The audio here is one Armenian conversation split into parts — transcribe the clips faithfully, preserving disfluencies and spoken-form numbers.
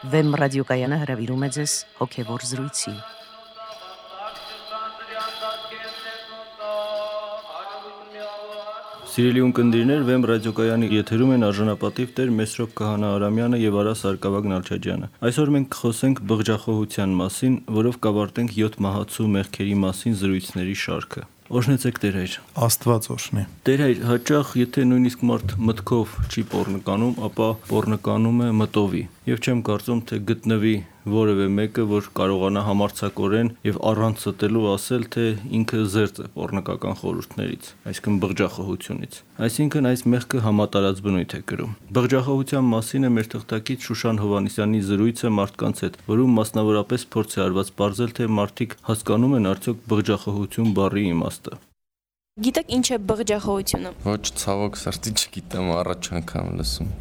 Վեմ ռադիոկայանը հրավիրում է ձեզ հոգևոր զրույցի։ Սիրելի ունկնդիրներ, Վեմ ռադիոկայանի եթերում են արժանապատիվ Տեր Մեսրոպ Քահանա Արամյանը եւ Արա Սարգսակյան Նալչաջյանը։ Այսօր մենք կխոսենք բղջախոհության մասին, որով կավարտենք յոթ մահացու մեղքերի մասին զրույցների շարքը։ Օրհնեցեք Տեր հայր։ Աստված օրհնի։ Տեր հայր, հաճախ եթե նույնիսկ մարդ մտքով չի պոռնականում, ապա պոռնականում է մտովի։ Եվ չեմ կարծում, թե գտնվի որևէ մեկը, որ կարողանա համարձակորեն եւ առանց ստելու ասել, թե ինքը զերծ է պոռնկական խորհուրդներից, այսինքն բղջախոհությունից։ Այսինքն այս մեղքը համատարած բնույթ է կրում։ Բղջախոհության մասին է մեր թղթակից Շուշան Հովանեսյանի զրույցը մարդկանց հետ, որում մասնավորապես փորձ է արված բարձել, թե մարդիկ հասկանում են արդյոք բղջախոհություն բառի իմաստը։ Գիտեք ինչ է բղջախոհությունը։ Ոչ, ցավոք սրտի չգիտեմ, առաջ անգամ լսում։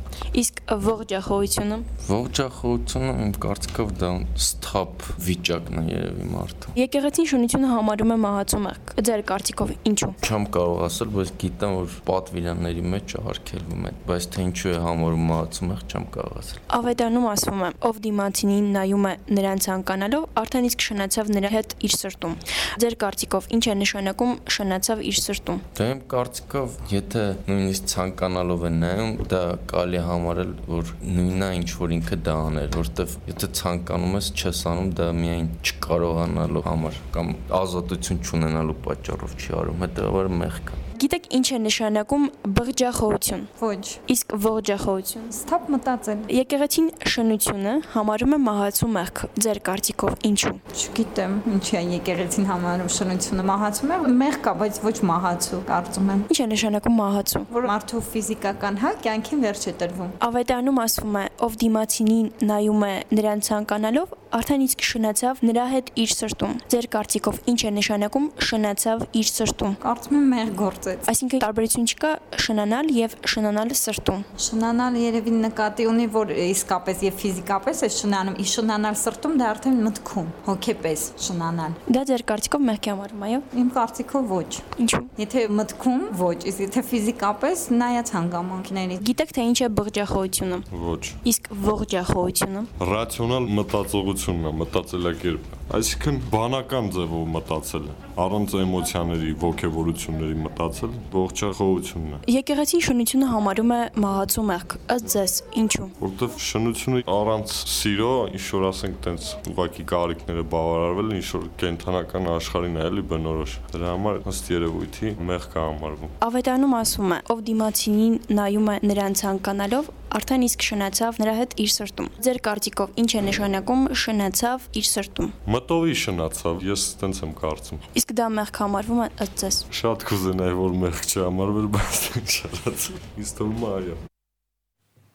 Իսկ ողջախոհությունը։ Ողջախոհությունը իմ կարծիքով դա սթափ վիճակն է երևի մարդու։ Եկեղեցին շնությունը համարում է մահացու մեղք։ Ձեր կարծիքով ինչու։ Չեմ կարող ասել, բայց գիտեմ, որ պատվիրանների մեջ արգելվում է, բայց թե ինչու է համարում մահացու մեղք, չեմ կարող ասել։ Ավետարանում ասվում է, ով դիմացինին նայում է նրան ցանկանալով, արդեն իսկ շնացավ նրա հետ իր սրտում։ Ձեր կարծիքով ինչ է նշանակում շնացավ իր սրտում։ Դա իմ կարծիքով, եթե նույնիսկ ցանկանալով է նայում, դա կարելի է համարել, որ նույնն է ինչ որ ինքը դա աներ, որտեվ եթե ցանկանում ես, չես անում, դա միայն չկարողանալու համար կամ ազատություն չունենալու պատճառով չի արում, հետեւաբար մեղք է։ Գիտեք ինչ է նշանակում բղջախոհություն։ Ոչ։ Իսկ ողջախոհություն։ Սթափ մտածել։ Եկեղեցին շնությունը համարում է մահացու մեղք։ Ձեր կարծիքով ինչու։ Չգիտեմ, ինչի է եկեղեցին համարում շնությունը մահացու մեղք, մեղք կա, բայց ոչ մահացու, կարծում եմ։ Ինչ է նշանակում մահացու։ Որ մարդու ֆիզիկական հա կյանքին վերջ է տրվում։ Ավետարանում ասվում է, ով դիմացինին նայում է նրան ցանկանալով, արդեն իսկ շնացավ նրա հետ իր սրտում։ Ձեր կարծիքով ինչ է նշանակում շնացավ իր սրտում։ Կարծում եմ մեղք գործեց։ Այսինքն տարբերություն չկա շնանալ եւ շնանալ սրտում։ Շնանալ երևի նկատի ունի, որ իսկապես եւ ֆիզիկապես է շնանում, իսկ շնանալ սրտում դա արդեն մտքում, հոգեպես շնանալ։ Դա ձեր կարծիքով մեղքի համարվում, այո։ Իմ կարծիքով ոչ։ Ինչու։ Եթե մտքում ոչ, իսկ եթե ֆիզիկապես նայած հանգամանքների։ Գիտեք թե ինչ է բղջախոհությունը։ Ոչ։ Իսկ ողջախոհությունը։ Ռացիոնալ մտածողությունն է, մտածելակերպը։ Այսինքն բանական ձևով մտածել, առանց էմոցիաների, ոգևորությունների մտածել, ողջախոհությունն է։ Եկեղեցին շնությունը համարում է մահացու մեղք, ըստ ձեզ, ինչու։ Որտեվ շնությունը առանց սիրո, ինչ որ ասենք, տենց ուղղակի կարիքները բավարարվել, ինչ որ կենթանական աշխարհին է էլի բնորոշ։ Դրա համար ըստ երևույթի մեղք է համարվում։ Ավետարանում ասվում է, ով դիմացինին նայում է նրան ցանկանալով, արդեն իսկ շնացավ նրա հետ իր սրտում։ Ձեր կարծիքով ինչ է նշանակում շնացավ իր սրտում։ Մտովի շնացավ, ես տենց եմ կարծում։ Իսկ դա մեղք համարվում է ըստ ձեզ։ Շատ կուզենայի, որ մեղք չհամարվեր, բայց չարած։ Ինձ թվում է այո։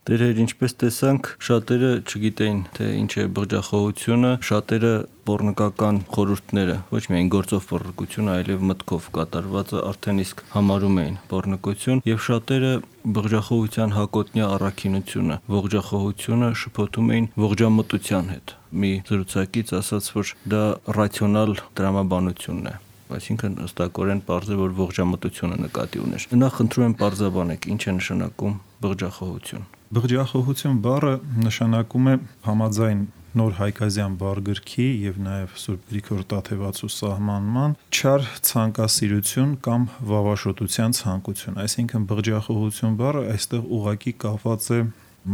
Տերեր, ինչպես տեսանք, շատերը չգիտեին, թե ինչ է բղջախոհությունը, շատերը պոռնկական խորհուրդները, ոչ միայն գործով պոռնկություն, այլև մտքով կատարվածը արդեն իսկ համարում էին պոռնկություն, եւ շատերը բղջախոհության հակոտնյա առաքինությունը, ողջախոհությունը շփոթում էին ողջամտության հետ։ Մի զրուցակից ասաց, որ դա ռացիոնալ տրամաբանությունն է։ Այսինքն ըստակորեն պարզ է, որ ողջամտությունը նկատի ուներ։ Նախ խնդրում եմ պարզաբանեք, ինչ է նշանակում բղջախոհություն։ Բղջախոհություն բառը նշանակում է համաձայն Նոր Հայկազյան բառգրքի եւ նաեւ Սուրբ Գրիգոր Տաթևացու սահմանման չար ցանկասիրություն կամ վավաշոտության ցանկություն, այսինքն բղջախոհություն բառը այստեղ ուղակի կապված է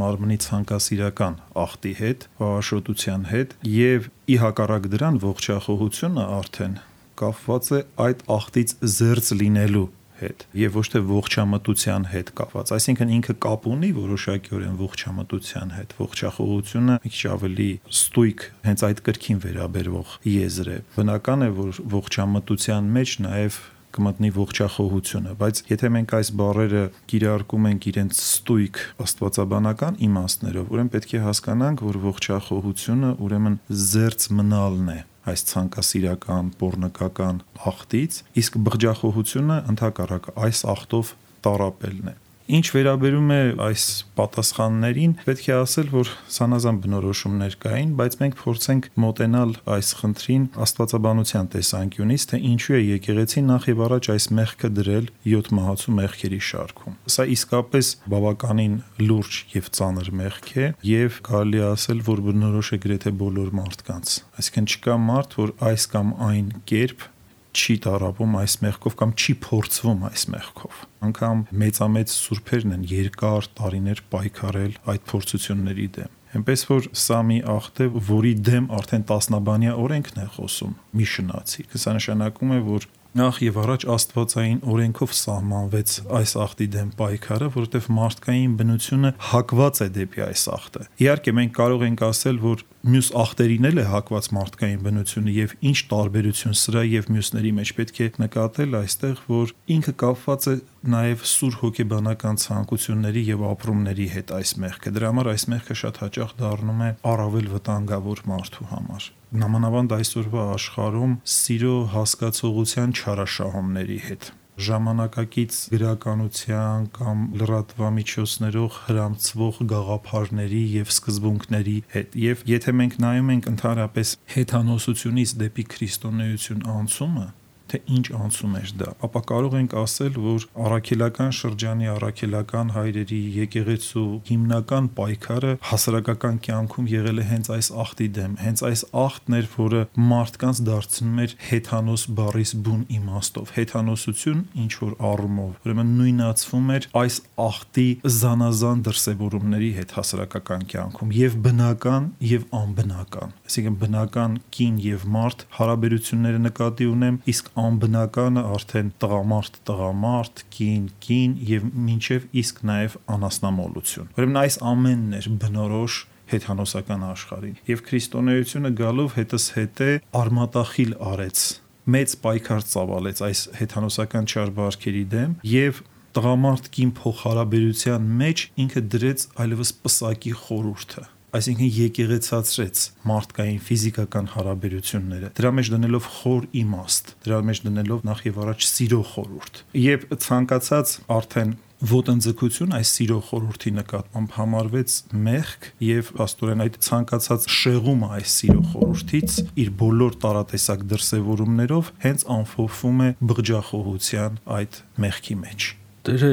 մարմնի ցանկասիրական ախտի հետ, վավաշոտության հետ եւ ի հակառակ դրան ողջախոհությունը արդեն կապված է այդ ախտից զերծ լինելու հետ եւ ոչ թե ողջամտության հետ կապված, այսինքն ինքը կապ ունի որոշակիորեն ողջամտության հետ, ողջախոհությունը մի քիչ ավելի ստույգ հենց այդ կրքին վերաբերվող եզր է։ Բնական է, որ ողջամտության մեջ նաեւ կմտնի ողջախոհությունը, բայց եթե մենք այս բառերը կիրարկում ենք իրենց ստույգ աստվածաբանական իմաստներով, ուրեմն պետք է հասկանանք, որ ողջախոհությունը ուրեմն զերծ մնալն է այս ցանկասիրական, պոռնկական ախտից, իսկ բղջախոհությունը ընդհակառակը այս ախտով տառապելն է։ Ինչ վերաբերում է այս պատասխաններին, պետք է ասել, որ սանազան բնորոշումներ կային, բայց մենք փորձենք մոտենալ այս խնդրին աստվածաբանության տեսանկյունից, թե ինչու է եկեղեցին նախ եւ առաջ այս մեղքը դրել յոթ մահացու մեղքերի շարքում։ Սա իսկապես բավականին լուրջ եւ ծանր մեղք է եւ կարելի է ասել, որ բնորոշ է գրեթե բոլոր մարդկանց։ Այսինքն չկա մարդ, որ այս կամ այն կերպ չի տարապում այս մեղքով կամ չի փորձվում այս մեղքով։ Անկամ մեծամեծ սուրբերն են երկար տարիներ պայքարել այդ փորձությունների դեմ։ Այնպես որ սա մի աղդ է, որի դեմ արդեն տասնաբանյա օրենքն է խոսում, մի շնացի։ Սա նշանակում է, որ նախ եւ առաջ աստվածային օրենքով սահմանվեց այս աղդի դեմ պայքարը, որովհետեւ մարդկային բնությունը հակված է դեպի այս աղդը։ Իհարկե մենք կարող ենք ասել, որ մյուս աղտերին էլ է հակված մարդկային բնությունը եւ ինչ տարբերություն սրա եւ մյուսների մեջ պետք է նկատել այստեղ, որ ինքը կապված է նաեւ սուր հոգեբանական ցանկությունների եւ ապրումների հետ այս մեղքը։ Դրա համար այս մեղքը շատ հաճախ դառնում է առավել վտանգավոր մարդու համար։ Նամանավանդ այսօրվա աշխարհում սիրո հասկացողության չարաշահումների հետ ժամանակակից գրականության կամ լրատվամիջոցներով հրամցվող գաղափարների եւ սկզբունքների հետ եւ եթե մենք նայում ենք ընդհանրապես հեթանոսությունից դեպի քրիստոնեություն անցումը, թե ինչ անցում էր դա, ապա կարող ենք ասել, որ առաքելական շրջանի առաքելական հայրերի եկեղեցու հիմնական պայքարը հասարակական կյանքում եղել է հենց այս աղտի դեմ, հենց այս աղտն էր, որը մարդկանց դարձնում էր հեթանոս բառից բուն իմաստով, հեթանոսություն ինչ որ առումով, ուրեմն նույնացվում էր այս աղտի զանազան դրսևորումների հետ հասարակական կյանքում, եւ բնական եւ անբնական, այսինքն բնական կին եւ մարդ հարաբերությունները նկատի ունեմ, իսկ անբնականը արդեն տղամարդ, տղամարդ, կին, կին եւ մինչեւ իսկ նաեւ անասնամոլություն։ Ուրեմն այս ամենն էր բնորոշ հեթանոսական աշխարհին եւ քրիստոնեությունը գալով հետս հետե արմատախիլ արեց, մեծ պայքար ծավալեց այս հեթանոսական չարբարքերի դեմ եւ տղամարդ կին փոխհարաբերության մեջ ինքը դրեց այլևս պսակի խորհուրդը, այսինքն եկեղեցացրեց մարդկային ֆիզիկական հարաբերությունները, դրա մեջ դնելով խոր իմաստ, դրա մեջ դնելով նախ եւ առաջ սիրո խորհուրդ։ Եվ ցանկացած արդեն ոտնձգություն այս սիրո խորհրդի նկատմամբ համարվեց մեղք եւ աստորեն այդ ցանկացած շեղումը այս սիրո խորհրդից իր բոլոր տարատեսակ դրսևորումներով հենց անփոփվում է բղջախոհության այդ մեղքի մեջ։ Տեր,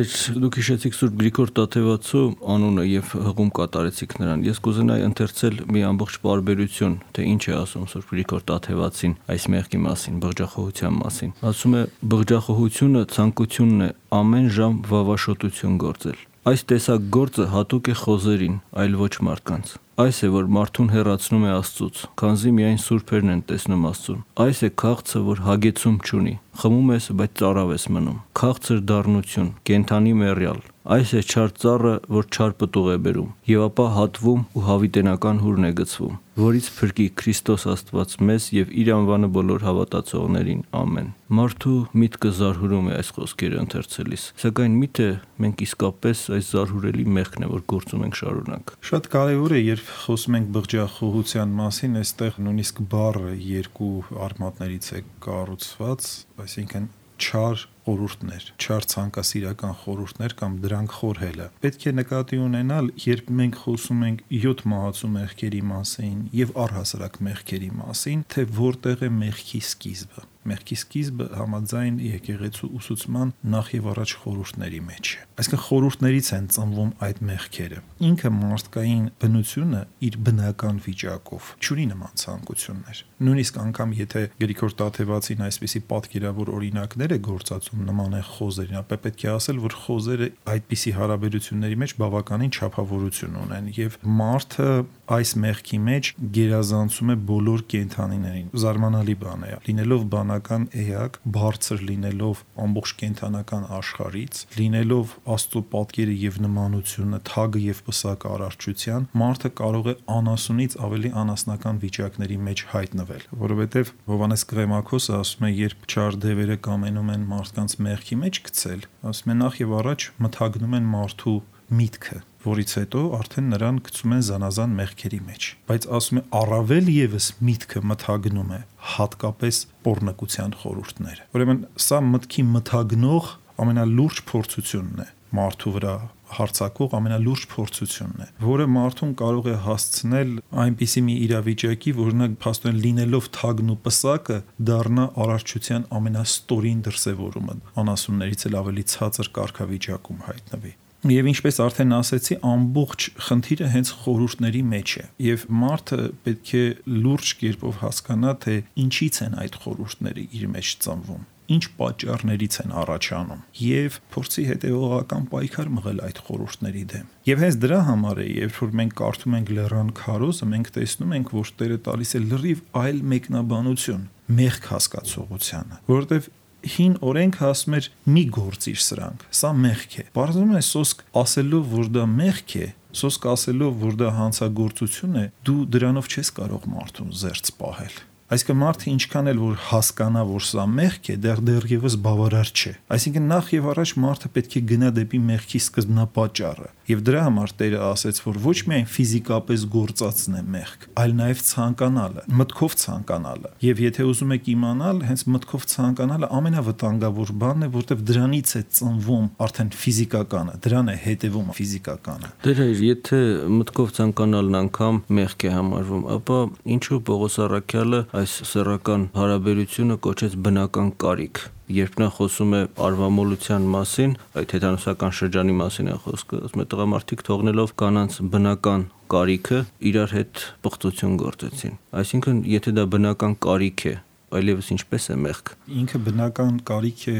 դուք հիշեցիք Սուրբ Գրիգոր Տաթևացու անունը եւ հղում կատարեցիք նրան։ Ես կուզենայի ընթերցել մի ամբողջ պարբերություն, թե ինչ է ասում Սուրբ Գրիգոր Տաթևացին այս մեղքի մասին, բղջախոհության մասին։ Ասում է. բղջախոհությունը ցանկությունն է ամեն ժամ վավաշոտություն գործել։ Այս տեսակ գործը հատուկ է խոզերին, այլ ոչ մարդկանց։ Այս է, որ մարդուն հեռացնում է Աստծուց, քանզի միայն սուրբերն են տեսնում Աստծուն։ Այս է քաղցը, որ հագեցում չունի, խմում ես, բայց ծարավ ես մնում։ Քաղցր դառնություն, կենթանի մեռյալ։ Այս է չար ծառը, որ չար պտուղ է բերում, եւ ապա հատվում ու հավիտենական հուրն է գցվում, որից փրկի Քրիստոս Աստված մեզ եւ իր անվանը բոլոր հավատացողներին։ Ամեն։ Մարդու միտքը զարհուրում է այս խոսքերը ընթերցելիս, սակայն միթե մենք իսկապես այս զարհուրելի մեղքն է, որ գործում ենք շարունակ։ Շատ կարևոր է, երբ խոսում ենք բղջախոհության մասին, այստեղ նույնիսկ բառը երկու արմատներից է կառուցված, այսինքն չար խորհուրդներ, չար ցանկասիրական խորհուրդներ կամ դրանք խորհելը։ Պետք է նկատի ունենալ, երբ մենք խոսում ենք յոթ մահացու մեղքերի մասին եւ առհասարակ մեղքերի մասին, թե որտեղ է մեղքի սկիզբը։ Մեղքի սկիզբը համաձայն եկեղեցու ուսուցման նախ եւ առաջ խորհուրդների մեջ է։ Այսինքն խորհուրդներից են ծնվում այդ մեղքերը։ Ինքը մարդկային բնությունը իր բնական վիճակով չունի նման ցանկություններ։ Նույնիսկ անգամ եթե Գրիգոր Տաթևացին այսպիսի պատկերավոր օրինակներ է գործածում նման է խոզերին, ապա պետք է ասել, որ խոզերը այդպիսի հարաբերությունների մեջ բավականին չափավորություն ունեն եւ մարդը այս մեղքի մեջ գերազանցում է բոլոր կենդանիներին։ Զարմանալի բան է, լինելով բանական էակ, բարձր լինելով ամբողջ կենդանական աշխարհից, լինելով Աստծո պատկերը եւ նմանությունը, թագը եւ պսակը արարչության, մարդը կարող է անասունից ավելի անասնական վիճակների մեջ հայտնվել, որովհետեւ Հովհաննես Կղեմաքոսը ասում է, երբ չար դևերը կամենում են մարդկանց մեղքի մեջ գցել, ասում է նախ եւ առաջ մթագնում են մարդու միտքը, որից հետո արդեն նրան գցում են զանազան մեղքերի մեջ, բայց ասում է առավել եւս միտքը մթագնում է հատկապես պոռնկության խորհուրդները։ Ուրեմն սա մտքի մթագնող ամենալուրջ փորձությունն է, մարդու վրա հարցակող ամենալուրջ փորձությունն է, որը մարդուն կարող է հասցնել այնպիսի մի իրավիճակի, որ նա փաստորեն լինելով թագն ու պսակը դառնա արարչության ամենաստորին դրսևորումը, անասուններից էլ ավելի ցածր կարգավիճակում հայտնվի։ Եվ ինչպես արդեն ասեցի, ամբողջ խնդիրը հենց խորհուրդների մեջ է, եւ մարդը պետք է լուրջ կերպով հասկանա, թե ինչից են այդ խորհուրդները իր մեջ ծնվում, ինչ պատճառներից են առաջանում եւ փորձի հետեւողական պայքար մղել այդ խորհուրդների դեմ։ Եվ հենց դրա համար է, երբ որ մենք կարդում ենք Լեռան քարոզը, մենք տեսնում ենք, որ Տերը տալիս է լրիվ այլ մեկնաբանություն մեղք հասկացողությանը, որովհետեւ հին օրենքը ասում էր մի գործիր սրանք, սա մեղք է։ Բարձրում է սոսկ ասելով, որ դա մեղք է, սոսկ ասելով, որ դա հանցագործություն է, դու դրանով չես կարող մարդուն զերծ պահել։ Այսինքն մարդը ինչքան էլ որ հասկանա, որ սա մեղք է, դեռ դեռևս բավարար չէ։ Այսինքն նախ եւ առաջ մարդը պետք է գնա դեպի մեղքի սկզբնապատճառը։ Եվ դրա համար Տերը ասեց, որ ոչ միայն ֆիզիկապես գործածն է մեղք, այլ նաեւ ցանկանալը, մտքով ցանկանալը։ Եվ եթե ուզում եք իմանալ, հենց մտքով ցանկանալը ամենավտանգավոր բանն է, որտեղ դրանից է ծնվում արդեն ֆիզիկականը, դրան է հետևում ֆիզիկականը։ Դե եթե մտքով ցանկանալն անգամ մեղք է համարվում, ապա ինչու Պողոս Առաքյալը այս սեռական հարաբերությունը կոչեց բնական կարիք, երբ նա խոսում է արվամոլության մասին, այդ հեթանոսական շրջանի մասին է խոսքը, ասում է տղամարդիկ թողնելով կանանց բնական կարիքը իրար հետ պղծություն գործեցին։ Այսինքն, եթե դա բնական կարիք է, այլևս ինչպես է մեղք։ Ինքը բնական կարիք է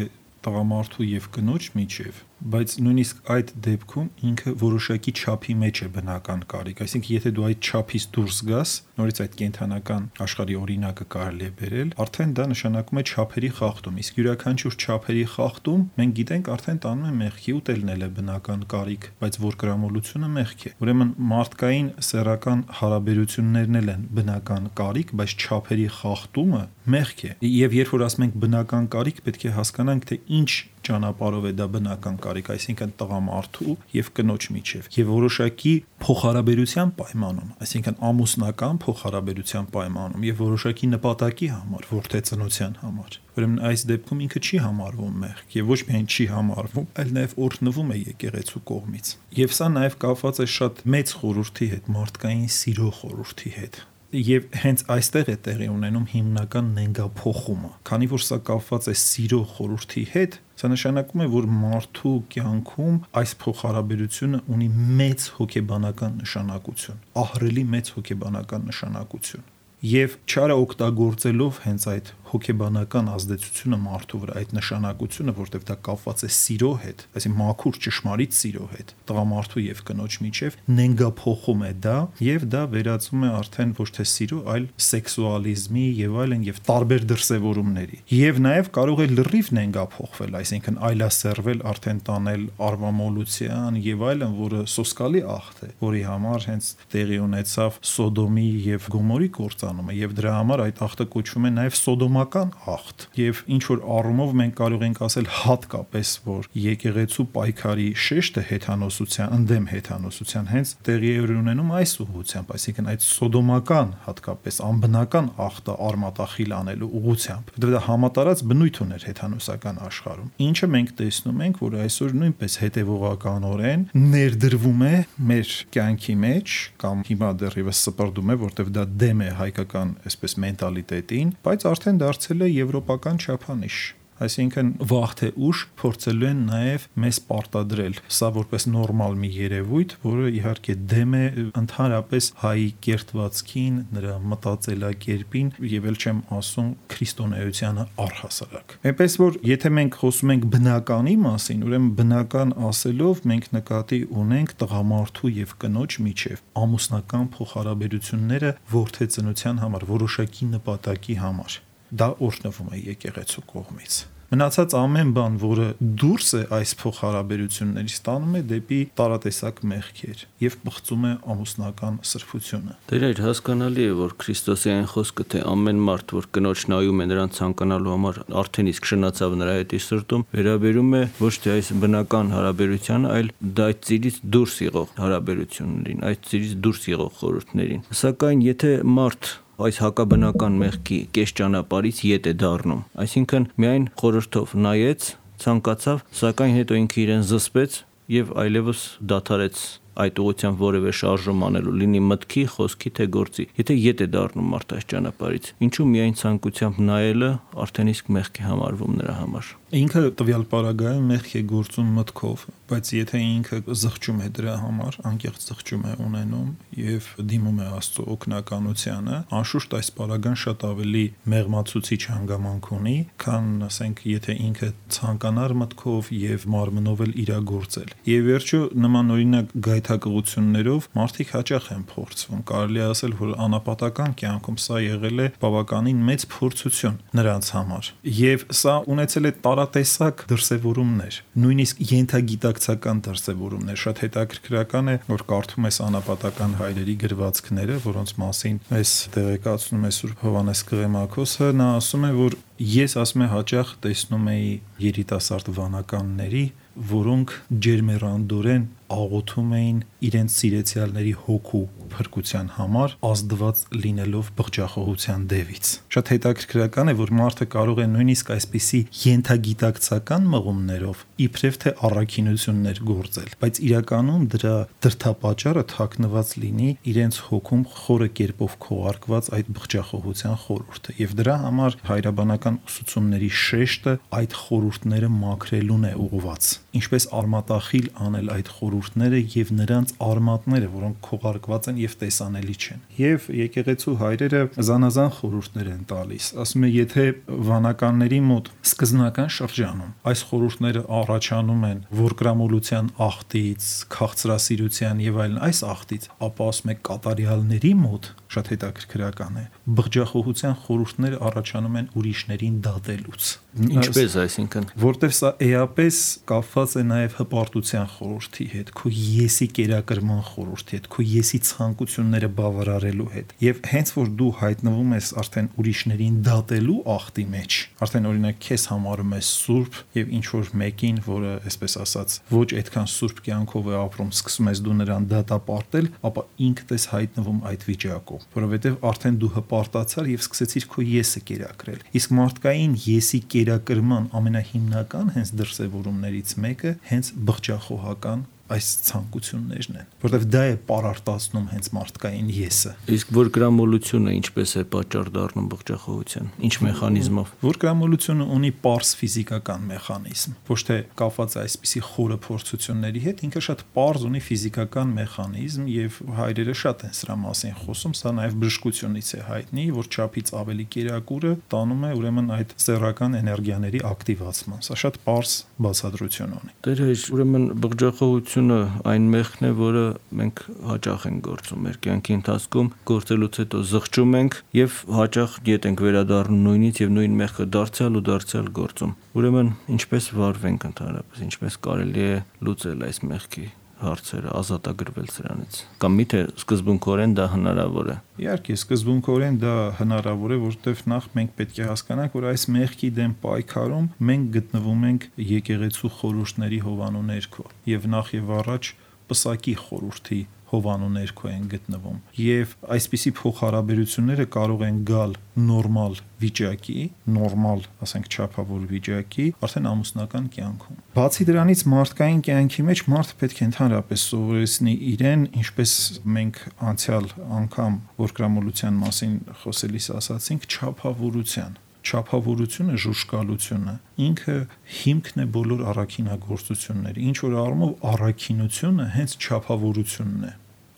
տղամարդու եւ կնոջ միջև, բայց նույնիսկ այդ դեպքում ինքը որոշակի չափի մեջ է բնական կարիք, այսինքն եթե դու այդ չափից դուրս գաս, նորից այդ կենթանական աշխարհի օրինակը կարելի է բերել, արդեն դա նշանակում է չափերի խախտում, իսկ յուրաքանչյուր չափերի խախտում մենք գիտենք արդեն տանում է մեղքի, ուտելն էլ է բնական կարիք, բայց որկրամոլությունը մեղք է։ Ուրեմն մարդկային սեռական հարաբերություններն էլ են բնական կարիք, բայց չափերի խախտումը մեղք է։ Եվ երբ որ ասում ենք բնական կարիք, պետք է հասկանանք, թե ինչ ճանապարհով է դա բնական կարիք, այսինքն տղամարդու եւ կնոջ միջև, եւ որոշակի փոխհարաբերության պայմանում, այսինքն ամուսնական փոխհարաբերության պայմանում եւ որոշակի նպատակի համար, որդեծնության համար։ Ուրեմն այս դեպքում ինքը չի համարվում մեղք եւ ոչ միայն չի համարվում, այլ նաեւ օրհնվում է եկեղեցու կողմից։ Եվ սա նաեւ կապված է շատ մեծ խորհրդի հետ, մարդկային սիրո խորհրդի հետ։ Եվ հենց այստեղ է տեղի ունենում հիմնական նենգափոխումը, քանի որ սա կապված է սիրո խորհրդի հետ, սա նշանակում է, որ մարդու կյանքում այս փոխհարաբերությունը ունի մեծ հոգեբանական նշանակություն, ահռելի մեծ հոգեբանական նշանակություն։ Եվ չարը օգտագործելով հենց այդ հոգեբանական ազդեցությունը մարդու վրա, այդ նշանակությունը, որտեղ դա կապված է սիրո հետ, այսինքն մաքուր ճշմարիտ սիրո հետ, տղամարդու եւ կնոջ միջև նենգափոխում է դա, եւ դա վերածում է արդեն ոչ թե սիրո, այլ սեքսուալիզմի եւ այլն եւ տարբեր դրսեւորումների։ Եվ նաեւ կարող է լրիվ նենգափոխվել, այսինքն այլասերվել, արդեն տանել արվամոլության եւ այլն, որը սոսկալի աղթ է, որի համար հենց տեղի ունեցավ Սոդոմի եւ Գոմորի կործանումը, եւ դրա համար այդ աղթը կոչվում է նաեւ Սոդոմական աղթ։ Եվ ինչ որ առումով մենք կարող ենք ասել հատկապես, որ եկեղեցու պայքարի շեշտը հեթանոսության, ընդդեմ հեթանոսության հենց տեղի է ունենում այս ուղղությամբ, այսինքն այդ սոդոմական, հատկապես անբնական աղթը արմատախիլ անելու ուղղությամբ, որտեղ դա համատարած բնույթ ուներ հեթանոսական աշխարհում։ Ինչը մենք տեսնում ենք, որ այսօր նույնպես հետևողականորեն ներդրվում է մեր կյանքի մեջ կամ հիմա դեռևս սպրդում է, որտեղ դա դեմ է հայկական այսպես մենտալիտետին, բայց արդեն դարձել է եվրոպական չափանիշ։ Այսինքն վաղ թե ուշ փորձելու են նաև մեզ պարտադրել սա որպես նորմալ մի երևույթ, որը իհարկե դեմ է ընդհանրապես հայի կերտվածքին, նրա մտածելակերպին եւ էլ չեմ ասում քրիստոնեությանը առհասարակ։ Այնպես որ եթե մենք խոսում ենք բնականի մասին, ուրեմն բնական ասելով մենք նկատի ունենք տղամարդու եւ կնոջ միջև ամուսնական փոխհարաբերությունները որդեծնության համար, որոշակի նպատակի համար։ Դա օրհնվում է եկեղեցու կողմից։ Մնացած ամեն բան, որը դուրս է այս փոխհարաբերություններից, տանում է դեպի տարատեսակ մեղքեր եւ բխծում է ամուսնական սրբությունը։ Դեր հասկանալի է, որ Քրիստոսի այն խոսքը, թե ամեն մարդ, որ կնոջ նայում է նրան ցանկանալու համար, արդեն իսկ շնացավ նրա հետ իր սրտում, վերաբերում է ոչ թե այս բնական հարաբերությանը, այլ դա այդ ծիրից դուրս եղող հարաբերություններին, այդ ծիրից դուրս եղող խորհուրդներին։ Սակայն եթե մարդ այս հակաբնական մեղքի կես ճանապարհից ետ է դառնում, այսինքն միայն խորհրդով նայեց, ցանկացավ, սակայն հետո ինքը իրեն զսպեց եւ այլևս դադարեց այդ ուղղությամբ որևէ շարժում անելու, լինի մտքի, խոսքի թե գործի։ Եթե ետ է դառնում մարդ այս ճանապարհից, ինչու միայն ցանկությամբ նայելը արդեն իսկ մեղք է համարվում նրա համար։ Ինքը տվյալ պարագայում մեղք է գործում մտքով, բայց եթե ինքը զղջում է դրա համար, անկեղծ զղջում է ունենում եւ դիմում է Աստծո օգնականությանը, անշուշտ այս պարագան շատ ավելի մեղմացուցիչ հանգամանք ունի, քան ասենք եթե ինքը ցանկանար մտքով եւ մարմնով էլ իրագործել։ Եվ վերջո նման օրինակ գայթակղություններով մարդիկ հաճախ են փորձվում։ Կարելի է ասել, որ անապատական կյանքում սա եղել է բավականին մեծ փորձություն նրանց համար։ Եվ սա ունեցել է տարատեսակ դրսևորումներ, նույնիսկ ենթագիտակցական դրսևորումներ։ Շատ հետաքրքրական է, որ կարդում ես անապատական հայրերի գրվածքները, որոնց մասին մեզ տեղեկացնում է Սուրբ Հովհաննես Կղեմաքոսը, նա ասում է, որ ես ասում եմ հաճախ տեսնում էի երիտասարդ վանականների, որոնք ջերմեռանդորեն աղոթում էին իրենց սիրեցյալների հոգու փրկության համար, ազդված լինելով բղջախոհության դևից։ Շատ հետաքրքրական է, որ մարդը կարող է նույնիսկ այսպիսի ենթագիտակցական մղումներով իբրև թե առաքինություններ գործել, բայց իրականում դրա դրդապատճառը թաքնված լինի իրենց հոգում խորը կերպով քողարկված այդ բղջախոհության խորհուրդը, եւ դրա համար հայրաբանական ուսուցումների շեշտը այդ խորհուրդները մաքրելուն է ուղղված, ինչպես արմատախիլ անել այդ խորհուրդները եւ նրանց արմատները, որոնք քողարկված են եւ տեսանելի չեն։ Եվ եկեղեցու հայրերը զանազան խորհուրդներ են տալիս։ Ասում է, եթե վանականների մոտ սկզբնական շրջանում այս խորհուրդները առաջանում են որկրամոլության ախտից, քաղցրասիրության եւ այլն այս ախտից, ապա ասում է կատարյալների մոտ շատ հետաքրքրական է, բղջախոհության խորհուրդները առաջանում են ուրիշներին դատելուց։ Ինչպես, այսինքն, որտեվ սա էապես կապված է նաև հպարտության խորհրդի հետ, քո եսի կերակրման խորհրդի հետ, քո եսի ցանկությունները բավարարելու հետ։ Եվ հենց որ դու հայտնվում ես արդեն ուրիշներին դատելու ախտի մեջ, արդեն օրինակ քեզ համարում ես սուրբ եւ ինչ որ մեկին, որը այսպես ասած ոչ այդքան սուրբ կյանքով է ապրում, սկսում ես դու նրան դատապարտել, ապա ինքդ ես հայտնվում այդ վիճակում, որովհետեւ արդեն դու հպարտացար եւ սկսեցիր քո եսը կերակրել։ Իսկ մարդկային եսի կերակրման ամենահիմնական հենց դրսևորումներից մեկը հենց բղջախոհական այս ցանկություններն են, որովհետև դա է պարարտացնում հենց մարդկային եսը։ Իսկ որգրամոլությունը ինչպես է պատճառ դառնում բղջախոհության, ինչ մեխանիզմով։ Որգրամոլությունը ունի պարզ ֆիզիկական մեխանիզմ, ոչ թե կապված է այսպիսի խորը փորձությունների հետ, ինքը շատ պարզ ունի ֆիզիկական մեխանիզմ եւ հայրերը շատ են սրա մասին խոսում, սա նաեւ բժշկությունից է հայտնի, որ չափից ավելի կերակուրը տանում է ուրեմն այդ սեռական էներգիաների ակտիվացման։ Սա շատ պարզ բացատրություն ունի։ Դեր հեչ, ուրեմն բղջախոհությունը այն մեղքն է, որը մենք հաճախ ենք գործում մեր կյանքի ընթացքում, գործելուց հետո զղջում ենք եւ հաճախ ետ ենք վերադառնում նույնից եւ նույն մեղքը դարձյալ ու դարձյալ գործում։ Ուրեմն ինչպես վարվենք ընդհանրապես, ինչպես կարելի է լուծել այս մեղքի հարցերը, ազատագրվել սրանից, կամ միթե սկզբունքորեն դա հնարավոր է։ Իհարկե, սկզբունքորեն դա հնարավոր է, որովհետև նախ մենք պետք է հասկանանք, որ այս մեղքի դեմ պայքարում մենք գտնվում ենք եկեղեցու խորհուրդների հովանու ներքո, եւ նախ եւ առաջ պսակի խորհրդի հովանու ներքո են գտնվում, եւ այսպիսի փոխհարաբերությունները կարող են գալ նորմալ վիճակի, նորմալ, ասենք չափավոր վիճակի, արդեն ամուսնական կյանքում։ Բացի դրանից մարդկային կյանքի մեջ մարդը պետք է ընդհանրապես սովորեցնի իրեն, ինչպես մենք անցյալ անգամ որգրամոլության մասին խոսելիս ասացինք, չափավորության։ Չափավորությունը, ժուժկալությունը ինքը հիմքն է բոլոր առաքինագործությունների։ Ինչ որ առումով առաքինությունը հենց չափավորությունն է,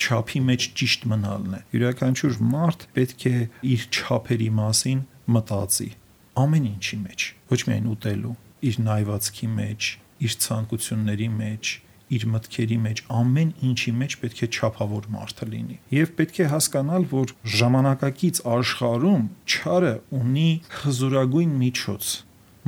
չափի մեջ ճիշտ մնալն է։ Յուրաքանչյուր մարդ պետք է իր չափերի մասին մտածի ամեն ինչի մեջ, ոչ միայն ուտելու, իր նայվածքի մեջ, իր ցանկությունների մեջ, իր մտքերի մեջ, ամեն ինչի մեջ պետք է չափավոր մարդը լինի։ Եվ պետք է հասկանալ, որ ժամանակակից աշխարհում չարը ունի հզորագույն միջոց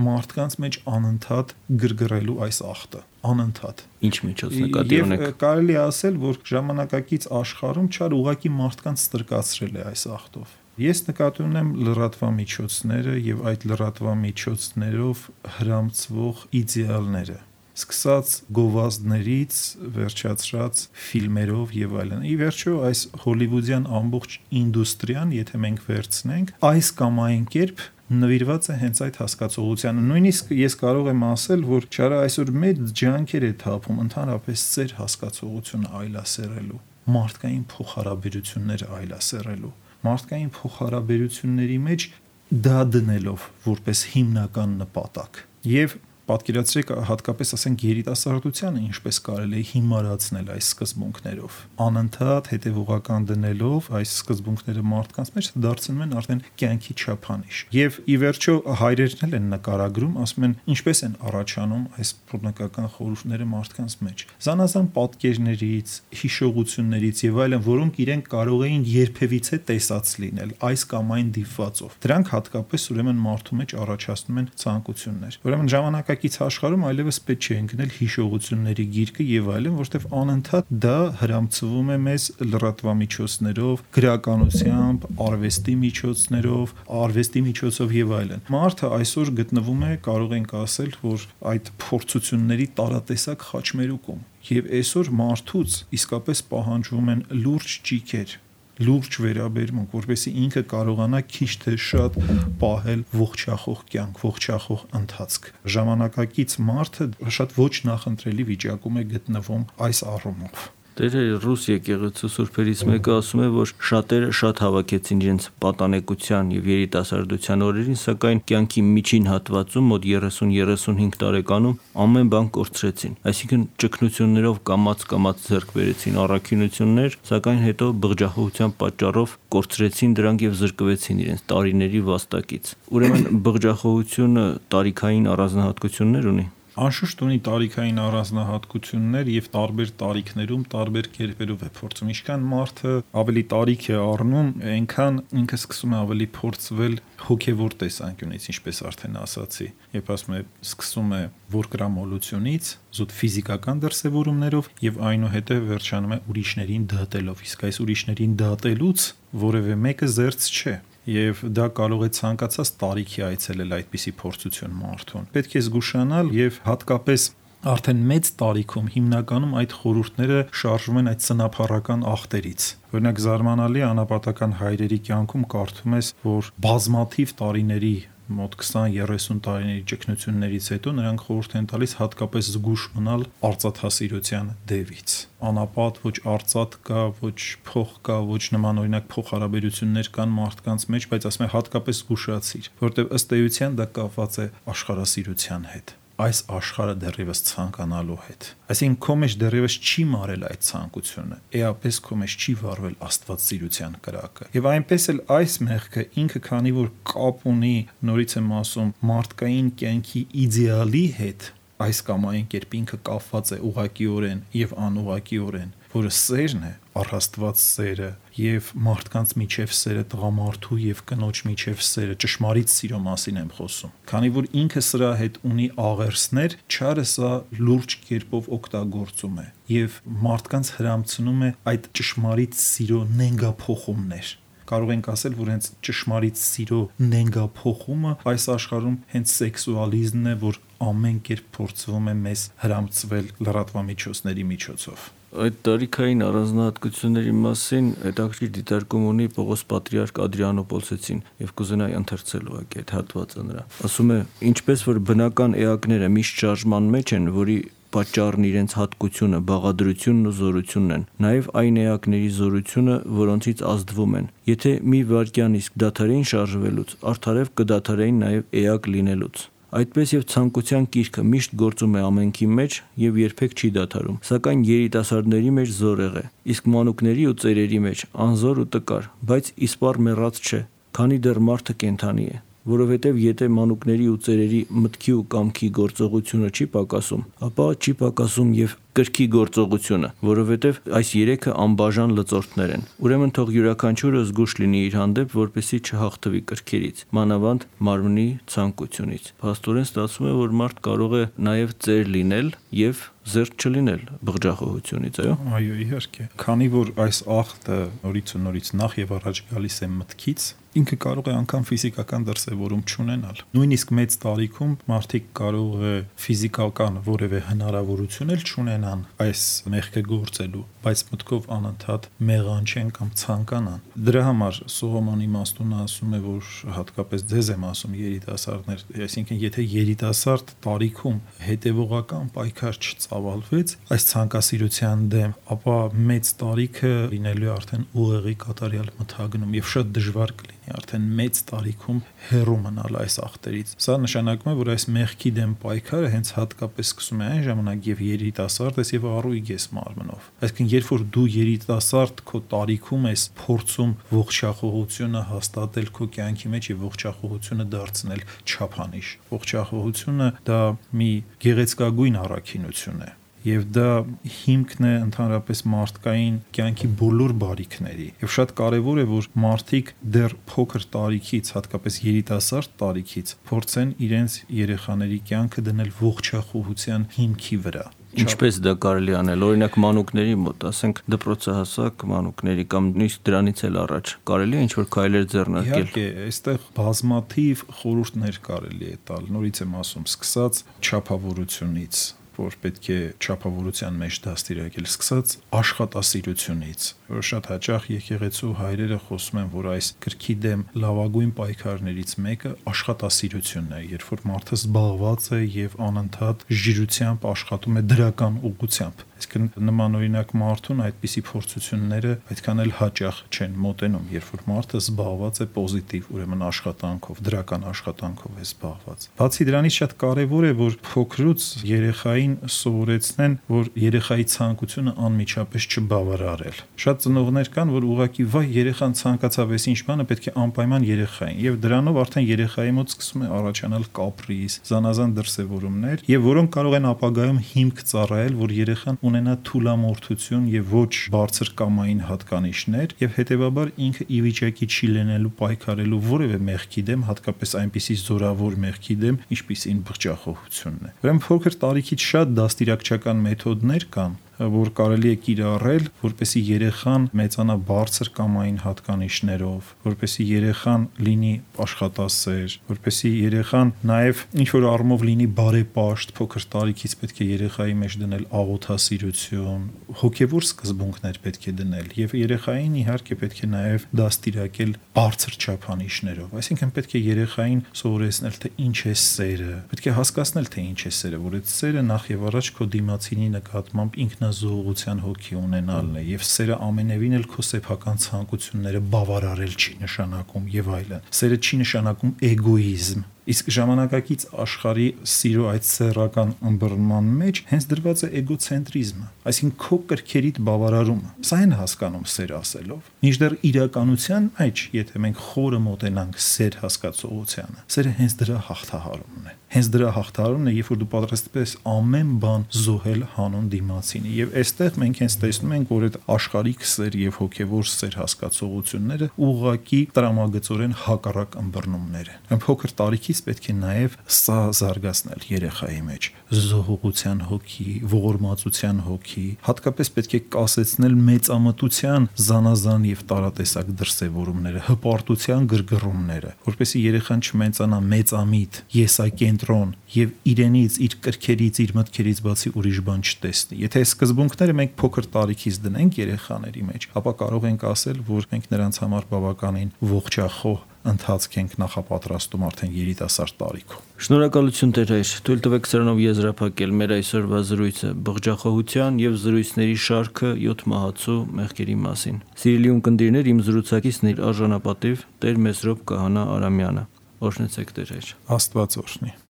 մարդկանց մեջ անընդհատ գրգռելու այս ախտը, անընդհատ։ Ինչ միջոց նկատի ունեք։ Եվ կարելի է ասել, որ ժամանակակից աշխարհում չարը ուղղակի մարդկանց ստրկացրել է այս ախտով։ Ես նկատի ունեմ լրատվամիջոցները եւ այդ լրատվամիջոցներով հրամցվող իդեալները, սկսած գովազդներից, վերջացրած ֆիլմերով եւ այլն։ Ի վերջո այս հոլիվուդյան ամբողջ ինդուստրիան, եթե մենք վերցնենք, այս կամ այն կերպ նվիրված է հենց այդ հասկացողությանը։ Նույնիսկ ես կարող եմ ասել, որ ճարը այսօր մեծ ջանքեր է թափում ընդհանրապես ծեր հասկացողությունը այլասերելու, մարդկային փոխհարաբերությունները այլասերելու, մարդկային փոխհարաբերությունների մեջ դա դնելով որպես հիմնական նպատակ։ Եվ պատկերացրեք հատկապես ասենք երիտասարդությանը ինչպես կարելի է հիմարացնել այս սկզբունքներով, անընդհատ հետևողական դնելով այս սկզբունքները մարդկանց մեջ դարձնում են արդեն կյանքի չափանիշ։ Եվ ի վերջո հայրերն էլ են նկարագրում, ասում են ինչպես են առաջանում այս բռնկական խորհուրդները մարդկանց մեջ։ Զանազան պատկերներից, հիշողություններից եւ այլն, որոնք իրենք կարող էին երբևիցե տեսած լինել այս կամ այն դիպվածով։ Դրանք հատկապես ուրեմն մարդու մեջ առաջացնում են ցանկություններ։ Ուրեմն ժամանակ աշխարհում այլևս պետք չէ ընկնել հիշողությունների գիրկը եւ այլն, որտեղ անընդհատ դա հրամցվում է մեզ լրատվամիջոցներով, գրականությամբ, արվեստի միջոցներով, արվեստի միջոցով եւ այլն։ Մարդը այսօր գտնվում է, կարող ենք ասել, որ այդ փորձությունների տարատեսակ խաչմերուկում, եւ այսօր մարդուց իսկապես պահանջվում են լուրջ ճիգեր, լուրջ վերաբերմունք, որպեսզի ինքը կարողանա քիչ թե շատ պահել ողջախոհ կյանք, ողջախոհ ընթացք։ Ժամանակակից մարդը շատ ոչ նախընտրելի վիճակում է գտնվում այս առումով։ Տերը ռուս եկեղեցու սուրբերից մեկը ասում է, որ շատերը շատ հավաքեցին իրենց պատանեկության եւ երիտասարդության օրերին, սակայն կյանքի միջին հատվածում մոտ երեսուն-երեսունհինգ տարեկանում ամեն բան կորցրեցին, այսինքն ճգնություններով կամաց-կամաց ձեռք բերեցին առաքինություններ, սակայն հետո բղջախոհության պատճառով կորցրեցին դրանք եւ զրկվեցին իրենց տարիների վաստակից։ Ուրեմն բղջախոհությունը տարիքային առանձնահատկություններ ունի։ Անշուշտ ունի տարիքային առանձնահատկություններ եւ տարբեր տարիքներում տարբեր կերպերով է փորձում։ Ինչքան մարդը ավելի տարիք է առնում, այնքան ինքը սկսում է ավելի փորձվել հոգեվոր տեսանկյունից, ինչպես արդեն ասացի։ Երբ ասում է սկսում է որկրամոլությունից, զուտ ֆիզիկական դրսևորումներով եւ այնուհետեւ վերջանում է ուրիշներին դատելով։ Իսկ այս ուրիշներին դատելուց որևէ մեկը զերծ չէ։ Եվ դա կարող է ցանկացած տարիքի այցելել այդպիսի փորձություն մարդուն։ Պետք է զգուշանալ եւ հատկապես արդեն մեծ տարիքում հիմնականում այդ խորհուրդները շարժվում են այդ ծնապառական ախտերից։ Օրինակ զարմանալի անապատական հայրերի կյանքում կարդում ես, որ բազմաթիվ տարիների մոտ քսան-երեսուն տարիների ճգնություններից հետո նրանք խորհուրդ են տալիս հատկապես զգուշ մնալ արծաթասիրության դևից։ Անապատ ոչ արծաթ կա, ոչ փող կա, ոչ նման օրինակ փոխհարաբերություններ կան մարդկանց մեջ, բայց ասում եմ հատկապես զգուշացիր, որովհետև ըստ էության դա կապված է աշխարհասիրության հետ, այս աշխարհը դեռևս ցանկանալու հետ։ Այսինքն քո մեջ դեռևս չի մարել այդ ցանկությունը, էապես քո մեջ չի վառվել աստվածասիրության կրակը։ Եվ այնպես էլ այս մեղքը ինքը քանի որ կապ ունի, նորից եմ ասում, մարդկային կյանքի իդեալի հետ, այս կամ այն կերպ ինքը կապված է ուղղակիորեն եւ անուղղակիորեն, որը սերն է, առաստված սերը եւ մարդկանց միջև սերը, տղամարդու եւ կնոջ միջև սերը, ճշմարիտ սիրո մասին եմ խոսում։ Քանի որ ինքը սրա հետ ունի աղերսներ, չարը սա լուրջ կերպով օգտագործում է եւ մարդկանց հրամցնում է այդ ճշմարիտ սիրո նենգափոխումներ։ Կարող ենք ասել, որ հենց ճշմարիտ սիրո նենգափոխումը այս աշխարհում հենց սեքսուալիզմն է, որ ամեն կերպ փորձվում է մեզ հրամցվել լրատվամիջոցների միջոցով։ Այդ տարիքային առանձնահատկությունների մասին հետաքրքիր դիտարկում ունի Պողոս Պատրիարք Ադրիանոպոլսեցին եւ կուզենայի ընթերցել ուղղակի այդ հատվածը նրա։ Ասում է. ինչպես որ բնական էակները միշտ շարժման մեջ են, որի պատճառն իրենց հատկությունը, բաղադրությունն ու զորությունն են, նաև այն էակների զորությունը, որոնցից ազդվում են։ Եթե մի վայրկյան իսկ դադարեին շարժվելուց, արդարև կդադարեին նաև էակ լինելուց։ Այդպես եւ ցանկության կիրքը միշտ գործում է ամենքի մեջ եւ երբեք չի դադարում, սակայն երիտասարդների մեջ զորեղ է, իսկ մանուկների ու ծերերի մեջ անզոր ու տկար, բայց իսպառ մեռած չէ, քանի դեռ մարդը կենդանի է։ Որովհետև եթե մանուկների ու ծերերի մտքի ու կամքի գործողությունը չի պակասում, ապա չի պակասում եւ կրքի գործողությունը, որովհետև այս երեքը անբաժան լծորդներ են։ Ուրեմն թող յուրաքանչյուրը զգուշ լինի իր հանդեպ, որպեսզի չհաղթվի կրքերից, մանավանդ մարմնի ցանկությունից։ Փաստորեն ստացվում է, որ մարդ կարող է նաև ծեր լինել եւ զերծ չլինել բղջախոհությունից, այո։ Այո, իհարկե։ Քանի որ այս ախտը նորից ու նորից նախ եւ առաջ գալիս է մտքից, ինքը կարող է անգամ ֆիզիկական դրսևորում չունենալ։ Նույնիսկ մեծ տարիքում մարդիկ կարող է ֆիզիկական որևէ հնարավորություն էլ չունենալ ունենան այս մեղքը գործելու, բայց մտքով անընդհատ մեղանչեն կամ ցանկանան։ Դրա համար Սողոմոնի իմաստունը ասում է, որ հատկապես ձեզ եմ ասում երիտասարդներ, այսինքն եթե երիտասարդ տարիքում հետևողական պայքար չծավալվեց այս ցանկասիրության դեմ, ապա մեծ տարիքը լինելու է արդեն ուղեղի կատարյալ մթագնում եւ շատ դժվար կլինի արդեն մեծ տարիքում հեռու մնալ այս ախտերից։ Սա նշանակում է, որ այս մեղքի դեմ պայքարը հենց հատկապես սկսում է այն ժամանակ, եւ երիտասարդ ես եւ առույգ ես մարմնով։ Այսինքն երբ որ դու երիտասարդ քո տարիքում ես փորձում ողջախոհությունը հաստատել քո կյանքի մեջ եւ ողջախոհությունը դարձնել չափանիշ։ Ողջախոհությունը դա մի գեղեցկագույն առաքինություն է եւ դա հիմքն է ընդհանրապես մարդկային կյանքի բոլոր բարիքների եւ շատ կարեւոր է որ մարդիկ դեռ փոքր տարիքից, հատկապես երիտասարդ տարիքից փորձեն իրենց երեխաների կյանքը դնել ողջախոհության հիմքի վրա։ Ինչպես դա կարելի անել, օրինակ մանուկների մոտ, ասենք դպրոցահասակ մանուկների կամ նույնիսկ դրանից էլ առաջ կարելի է ինչ-որ քայլեր ձեռնարկել։ Իհարկե, այստեղ բազմաթիվ խորհուրդներ կարելի է տալ, նորից եմ ասում, սկսած չափավորությունից, որ պետք է չափավորության մեջ դաստիարակել, սկսած աշխատասիրությունից, որ շատ հաճախ եկեղեցու հայրերը խոսում են, որ այս կրքի դեմ լավագույն պայքարներից մեկը աշխատասիրությունն է, երբ որ մարդը զբաղված է եւ անընդհատ ժիրությամբ աշխատում է դրական ուղղությամբ։ Այսինքն նմանօրինակ մարդուն այդպիսի փորձությունները այդքան էլ հաճախ չեն մոտենում, երբ որ մարդը զբաղված է պոզիտիվ, ուրեմն աշխատանքով, դրական աշխատանքով է զբաղված։ Բացի դրանից շատ կարևոր է, որ փոքրուց երեխային սովորեցնեն, որ երեխայի ցանկությունը անմիջապես չբավարարել։ Շատ ծնողներ կան, որ ուղղակի վայ երեխան ցանկացավ էս ինչ բանը, պետք է անպայման երեխային, եւ դրանով արդեն երեխայի մոտ սկսում է առաջանալ կապրիզ, զանազան դրսևորումներ, եւ որոնք կարող են ապագայում հիմք ծառայել, որ երեխան ունենա թուլամորթություն եւ ոչ բարձր կամային հատկանիշներ եւ հետեւաբար ինքը ի վիճակի չի լինելու պայքարելու որևէ մեղքի դեմ, հատկապես այնպիսի զորավոր մեղքի դեմ, ինչպիսին բղջախոհությունն է։ Ուրեմն փոքր տարիքից շատ դաստիարակչական մեթոդներ կան, որ կարելի է կիրառել, որպեսզի երեխան մեծանա բարձր կամային հատկանիշներով, որպեսզի երեխան լինի աշխատասեր, որպեսզի երեխան նաև ինչ որ առումով լինի բարեպաշտ, փոքր տարիքից պետք է երեխայի մեջ դնել աղոթասիրություն, հոգևոր սկզբունքներ պետք է դնել եւ երեխային իհարկե պետք է նաև դաստիարակել բարձր չափանիշներով, այսինքն պետք է երեխային սովորեցնել, թե ինչ է սերը, պետք է հասկացնել, թե ինչ է սերը, որ այդ սերը նախ եւ առաջ քո դիմացինի նկատմամբ ինքնազոհության հոգի ունենալն է եւ սերը ամենևին էլ քո սեփական ցանկությունները բավարարել չի նշանակում եւ այլն։ Սերը չի նշանակում էգոիզմ։ Իսկ ժամանակակից աշխարհի սիրո այդ սեռական ըմբռնման մեջ հենց դրված է էգոցենտրիզմը, այսինքն քո կրքերիդ բավարարումը։ Սա են հասկանում սեր ասելով։ Մինչդեռ իրականության մեջ, եթե մենք խորը մոտենանք սեր հասկացողությանը, սերը հենց դրա հաղթահարումն է։ Հենց դրա հաղթահարումն է, երբ որ դու պատրաստ ես ամեն բան զոհել հանուն դիմացինի։ Եվ այստեղ մենք հենց տեսնում ենք, որ այդ աշխարհիկ սեր եւ հոգեվոր սեր հասկացողությունները ուղղակի տրամագծորեն հակառակ ըմբռնումներ են։ Փոքր տարիքի պետք է նաև սա զարգացնել երեխայի մեջ զոհողության հոգի, ողորմածության հոգի, հատկապես պետք է կասեցնել մեծամտության զանազան եւ տարատեսակ դրսևորումները, հպարտության գրգռումները, որպեսզի երեխան չմեծանա մեծամիտ, եսակենտրոն եւ իրենից, իր կրքերից, իր մտքերից բացի ուրիշ բան չտեսնի։ Եթե այս սկզբունքները մենք փոքր տարիքից դնենք երեխաների մեջ, ապա կարող ենք ասել, որ մենք նրանց համար բավականին ողջախոհ ընթացք ենք նախապատրաստում արդեն երիտասարդ տարիքում։ Շնորհակալություն Տեր հայր, թույլ տվեք սրանով եզրափակել մեր այսօրվա զրույցը բղջախոհության եւ զրույցների շարքը յոթ մահացու մեղքերի մասին։ Սիրելի ունկնդիրներ, իմ զրուցակիցն իր արժանապատիվ Տեր Մեսրոպ Կահանա Արամյանը։ Օրհնեցեք Տեր հայր։ Աստված օրհնի։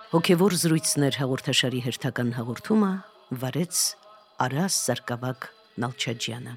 Հոգևոր զրույցներ հաղորդաշարի հերթական հաղորդումը վարեց Արաս Սարգսակ Նալչաջյանը։